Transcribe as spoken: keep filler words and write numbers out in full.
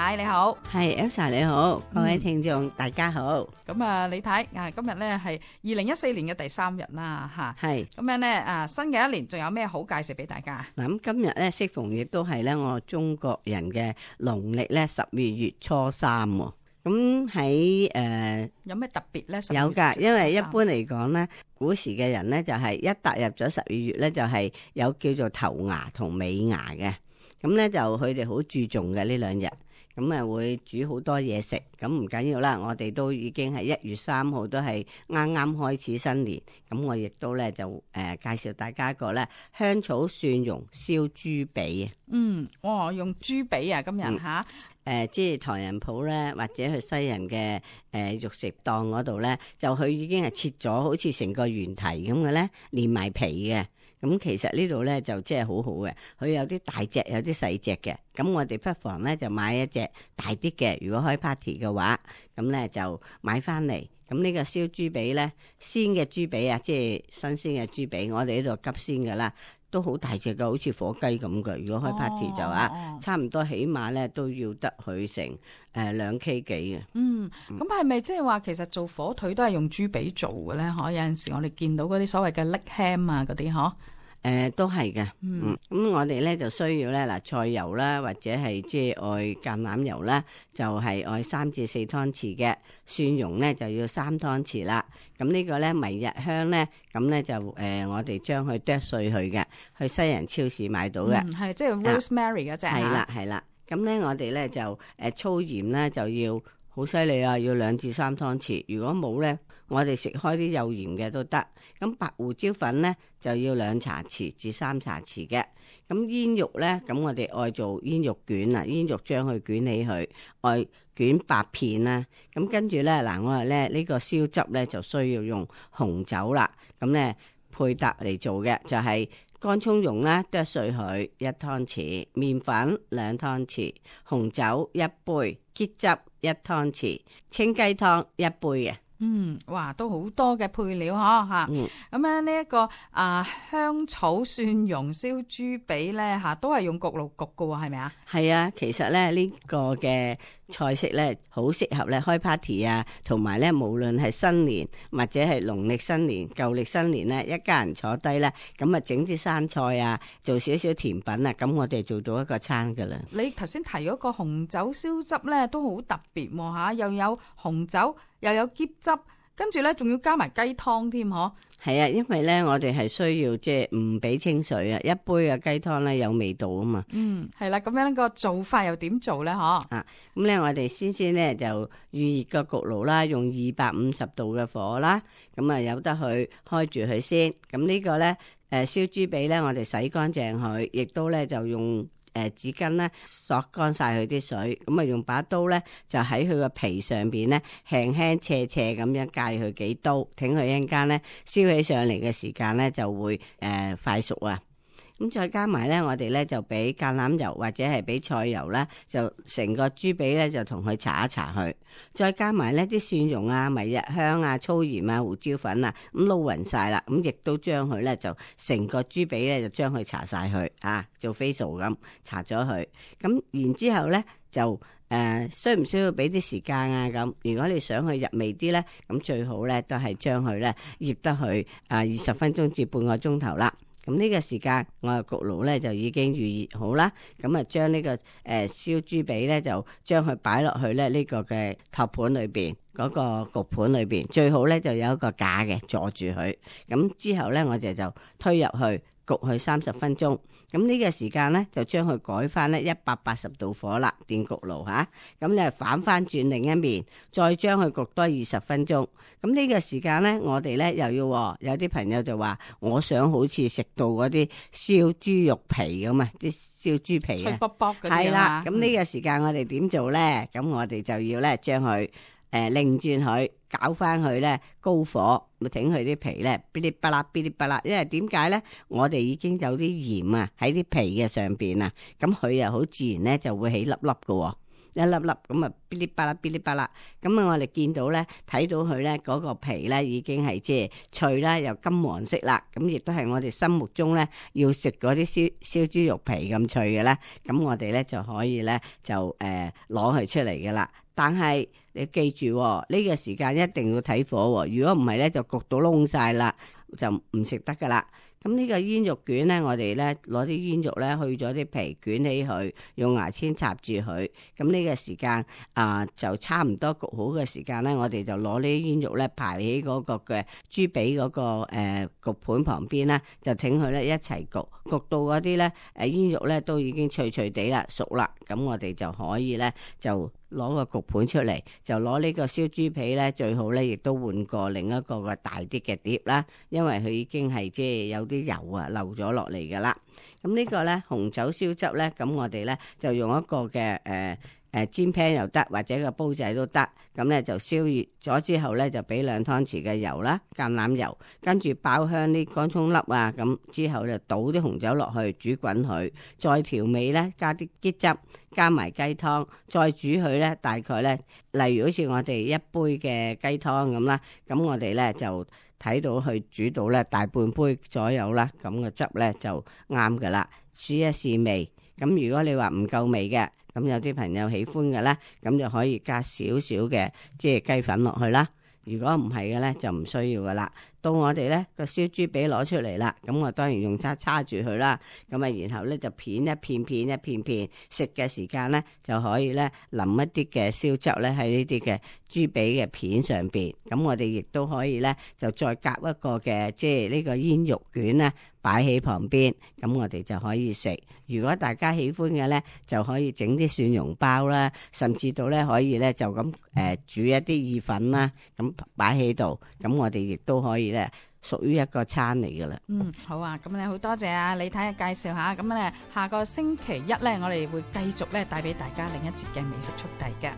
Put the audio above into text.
太你好，係 Elsa 你好，各位聽眾、嗯、大家好。咁啊，李太啊，今日咧係二零一四年嘅第三日啦，吓係咁樣咧啊，新嘅一年仲有咩好介紹俾大家？嗱，咁今日咧適逢亦都係咧我中國人嘅農曆咧十二月初三，咁喺誒有咩特別咧？有噶，因為一般嚟講咧，古時嘅人咧就係一踏入咗十二月咧，就係有叫做頭牙同尾牙嘅，咁咧就佢哋好注重嘅呢兩日。咁啊會煮好多嘢食，咁唔緊要啦。我哋都已經係一月三號都係啱啱開始新年，咁我亦都咧就誒、呃、介紹大家一個咧香草蒜蓉燒豬髀啊。嗯，哇，用豬髀啊，今日吓，誒、嗯呃，即係唐人鋪咧，或者去西人嘅誒、呃、肉食檔嗰度咧，就佢已經係切咗好似成個圓蹄咁嘅咧，連埋皮嘅。咁其實呢度咧就即係好好嘅，佢有啲大隻，有啲細隻嘅。咁我哋不妨咧就買一隻大啲嘅，如果開 party 嘅話，咁咧就買翻嚟。咁呢個燒豬髀咧，鮮嘅豬髀啊，即係新鮮嘅豬髀，我哋呢度急鮮噶啦，都好大隻嘅，好似火雞咁嘅。如果開 party 就啊，哦、差唔多起碼咧都要得佢成誒兩 K 幾嘅。嗯，咁係咪即係話其實做火腿都係用豬髀做嘅咧？可有陣時我哋見到嗰啲所謂嘅 leg ham 啊嗰啲嗬。誒、呃，都係嘅，嗯，咁、嗯、我哋咧就需要咧嗱，菜油啦，或者係即係愛橄欖油啦，就係、是、愛三至四湯匙嘅，蒜蓉咧就要三湯匙啦。咁呢個咧迷日香咧，咁咧就誒、呃，我哋將佢剁碎去嘅，去西人超市買到嘅，係即係 rosemary 嗰隻，係啦係啦。咁咧我哋咧就誒、呃、粗鹽咧就要好犀利啊，要兩至三湯匙。如果冇咧，我哋食開啲有鹽嘅都得。咁白胡椒粉咧就要兩茶匙至三茶匙嘅。咁煙肉咧，咁我哋愛做煙肉卷啊，煙肉將佢捲起佢，愛捲八片啦。咁跟住咧嗱，我哋咧呢個燒汁咧就需要用紅酒啦。咁咧配搭嚟做嘅就係、是、乾葱蓉啦，剁碎佢一湯匙，麵粉兩湯匙，紅酒一杯，桔汁一湯匙，清雞湯一杯嘅。嗯，哇，都好多嘅配料嗬吓。咁咧呢一個啊香草蒜蓉燒豬髀咧吓，都係用焗爐焗㗎喎，係咪啊？係啊，其實咧呢、這個嘅菜式咧好適合咧開 party 啊，同埋咧無論係新年或者係農曆新年、舊曆新年咧，一家人坐低咧，咁啊整啲生菜啊，做少少甜品啊，咁我哋做到一個餐噶啦。你頭先提嗰個紅酒燒汁咧，都好特別喎吓，又有紅酒。又有桔汁，跟住咧仲要加埋雞湯添，嗬？係啊，因為咧我哋係需要即係唔俾清水啊，一杯嘅雞湯咧有味道啊嘛。嗯，係啦，咁樣個做法又點做咧？嗬？啊，咁咧我哋先先咧就預熱個焗爐啦，用二百五十度嘅火啦，咁啊由得佢開住佢先。咁呢個咧誒燒豬髀咧，我哋洗乾淨佢，亦都咧就用。誒，紙巾咧索乾晒佢啲水，咁啊用把刀咧就喺佢個皮上邊咧輕輕斜斜咁樣界佢幾刀，挺佢一陣間咧燒起上嚟嘅時間咧就會誒、呃、快熟啊！咁再加埋咧，我哋咧就俾橄欖油或者係俾菜油啦，就成個豬髀咧就同佢搽一搽佢，再加埋呢啲蒜蓉啊、迷日香啊、粗鹽啊、胡椒粉啊，咁撈勻晒啦，咁亦都將佢咧就成個豬髀咧就將佢搽晒佢啊，做 facial 咁搽咗佢，咁然之後咧就誒、呃、需唔需要俾啲時間啊？咁如果你想去入味啲咧，咁最好咧都係將佢咧醃得去啊二十分鐘至半個鐘頭啦。咁呢個時間我嘅焗爐咧就已經預熱好啦，咁啊將呢個誒燒豬髀咧就將佢擺落去咧呢個嘅托盤裏邊嗰個焗盤裏邊，最好咧就有一個架嘅坐住佢，咁之後咧我哋就推入去焗佢三十分鐘。咁呢個時間咧就將佢改翻咧一百八十度火啦，電焗爐吓，咁你反翻轉另一面，再將佢焗多二十分鐘。咁呢個時間咧，我哋咧又要有啲朋友就話，我想好似食到嗰啲燒豬肉皮咁啊，啲燒豬皮啊，脆卜卜嗰啲係啦。咁呢個時間我哋點做咧？咁我哋就要咧將佢誒擰轉佢，搞翻佢咧高火，咪整佢啲皮咧，嗶哩吧啦，嗶哩吧啦。因為點解咧？我哋已經有啲鹽啊喺啲皮嘅上邊啊，咁佢又好自然咧就會起粒粒嘅。一粒粒咁啊，噼哩啪啦噼哩啪啦。咁啊，我哋見到咧，睇到佢咧嗰個皮咧已經係即係脆啦，又金黃色啦。咁亦都係我哋心目中咧要食嗰啲燒燒豬肉皮咁脆嘅咧。咁我哋咧就可以咧就誒攞佢出嚟嘅啦。但係你記住呢、哦呢個時間一定要睇火、哦，如果唔係咧就焗到燶晒啦，就唔食得噶啦。咁呢個煙肉卷咧，我哋咧攞啲煙肉咧去咗啲皮，捲起佢，用牙籤插住佢。咁呢個時間啊、呃，就差唔多焗好嘅時間咧，我哋就攞呢啲煙肉咧排喺嗰個嘅豬髀嗰個誒、呃、焗盤旁邊啦，就挺佢咧一齊焗，焗到嗰啲咧誒煙肉咧都已經脆脆地啦，熟啦。咁我哋就可以咧就攞個焗盤出嚟，就攞呢個燒豬皮咧，最好咧亦都換過另一個個大啲嘅碟啦，因為佢已經係即係有啲油啊漏咗落嚟噶啦。咁呢個咧紅酒燒汁咧，咁我哋咧就用一個嘅誒誒煎 pan 又得，或者個煲仔都得。咁咧就燒熱咗之後咧，就俾兩湯匙嘅油啦，橄欖油，跟住爆香啲乾葱粒啊，咁之後就倒啲紅酒落去煮滾佢，再調味咧，加啲桔汁，加埋雞湯，再煮佢咧，大概咧，例如好似我哋一杯嘅雞湯咁啦，咁我哋咧就睇到佢煮到咧大半杯左右啦，咁個汁咧就啱噶啦，試一試味。咁如果你話唔夠味嘅，咁有啲朋友喜歡嘅咧，咁就可以加少少嘅即係雞粉落去啦。如果唔係嘅咧，就唔需要噶啦。到我哋咧個燒豬髀攞出嚟啦，咁我當然用叉叉住佢啦。咁啊，然後咧就片一片片一片片，食嘅時間咧就可以咧淋一啲嘅燒汁咧喺呢啲嘅豬髀嘅片上邊。咁我哋亦都可以咧就再夾一個嘅即係呢個煙肉卷咧擺喺旁邊，咁我哋就可以食。如果大家喜歡嘅咧，就可以整啲蒜蓉包啦，甚至到咧可以咧就咁誒、呃、煮一啲意粉啦，咁擺喺度，咁我哋亦都可以咧屬於一個餐嚟噶啦。嗯，好啊，咁咧好多謝啊李太嘅介紹下，咁咧下個星期一咧，我哋會繼續咧帶俾大家另一節嘅美食速遞嘅。